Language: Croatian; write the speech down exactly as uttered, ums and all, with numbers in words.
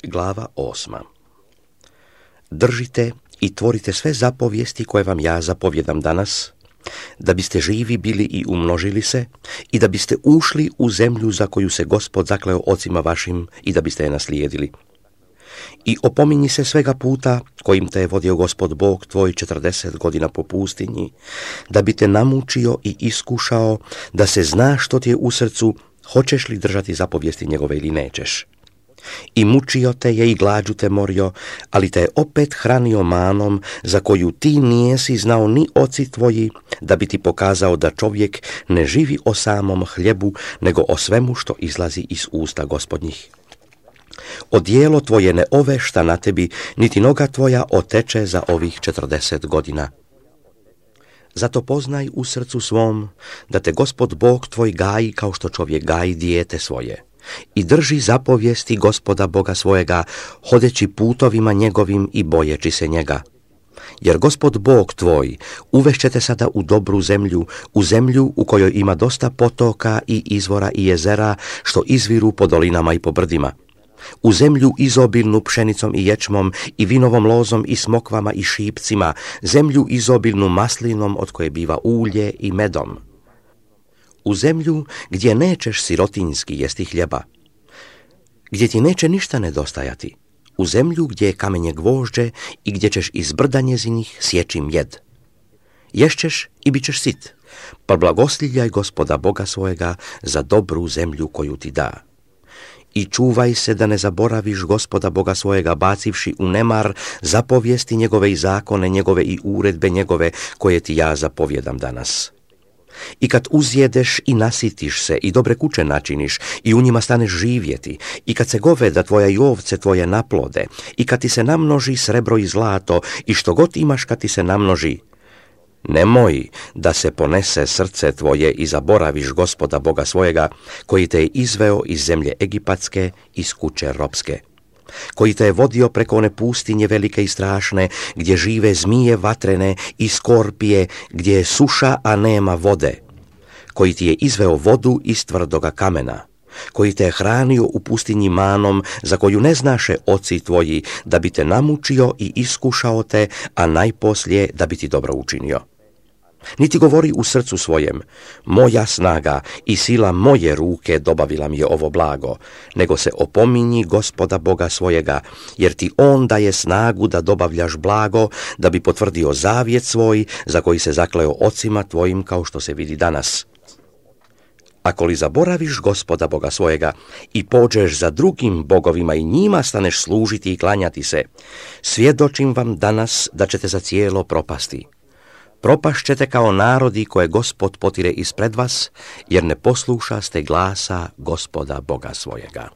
Glava osma. Držite i tvorite sve zapovijesti koje vam ja zapovjedam danas, da biste živi bili i umnožili se i da biste ušli u zemlju za koju se Gospod zakleo ocima vašim i da biste je naslijedili. I opominji se svega puta kojim te je vodio Gospod Bog tvoj četrdeset godina po pustinji, da bi te namučio i iskušao, da se zna što ti je u srcu, hoćeš li držati zapovijesti njegove ili nećeš. I mučio te je i glađu te morio, ali te je opet hranio manom za koju ti nijesi znao ni oci tvoji, da bi ti pokazao da čovjek ne živi o samom hljebu, nego o svemu što izlazi iz usta Gospodnjih. Odijelo tvoje ne ovešta na tebi, niti noga tvoja oteče za ovih četrdeset godina. Zato poznaj u srcu svom da te Gospod Bog tvoj gaji kao što čovjek gaji dijete svoje. I drži zapovijesti Gospoda Boga svojega, hodeći putovima njegovim i bojeći se njega. Jer Gospod Bog tvoj uvešćete sada u dobru zemlju, u zemlju u kojoj ima dosta potoka i izvora i jezera, što izviru po dolinama i po brdima. U zemlju izobilnu pšenicom i ječmom i vinovom lozom i smokvama i šipcima, zemlju izobilnu maslinom od koje biva ulje i medom. U zemlju gdje nećeš sirotinjski jesti hljeba, gdje ti neće ništa nedostajati, u zemlju gdje je kamenje gvožđe i gdje ćeš iz brda njezinih sjeći mjed. Ješćeš i bit ćeš sit, pa blagoslivljaj Gospoda Boga svojega za dobru zemlju koju ti da. I čuvaj se da ne zaboraviš Gospoda Boga svojega bacivši u nemar zapovijesti njegove i zakone njegove i uredbe njegove koje ti ja zapovjedam danas. I kad uzjedeš i nasitiš se i dobre kuće načiniš i u njima staneš živjeti, i kad se goveda tvoja i ovce tvoje naplode, i kad ti se namnoži srebro i zlato i što god imaš kad ti se namnoži, nemoj da se ponese srce tvoje i zaboraviš Gospoda Boga svojega, koji te je izveo iz zemlje egipatske, iz kuće ropske, koji te je vodio preko one pustinje velike i strašne, gdje žive zmije vatrene i skorpije, gdje je suša, a nema vode, koji ti je izveo vodu iz tvrdoga kamena, koji te je hranio u pustinji manom, za koju ne znaše oci tvoji, da bi te namučio i iskušao te, a najposlije da bi ti dobro učinio. Niti govori u srcu svojem, moja snaga i sila moje ruke dobavila mi je ovo blago, nego se opominji Gospoda Boga svojega, jer ti on daje snagu da dobavljaš blago, da bi potvrdio zavjet svoj, za koji se zakleo ocima tvojim, kao što se vidi danas. Ako li zaboraviš Gospoda Boga svojega i pođeš za drugim bogovima i njima staneš služiti i klanjati se, svjedočim vam danas da ćete za cijelo propasti. Propašćete kao narodi koje Gospod potire ispred vas, jer ne poslušaste glasa Gospoda Boga svojega.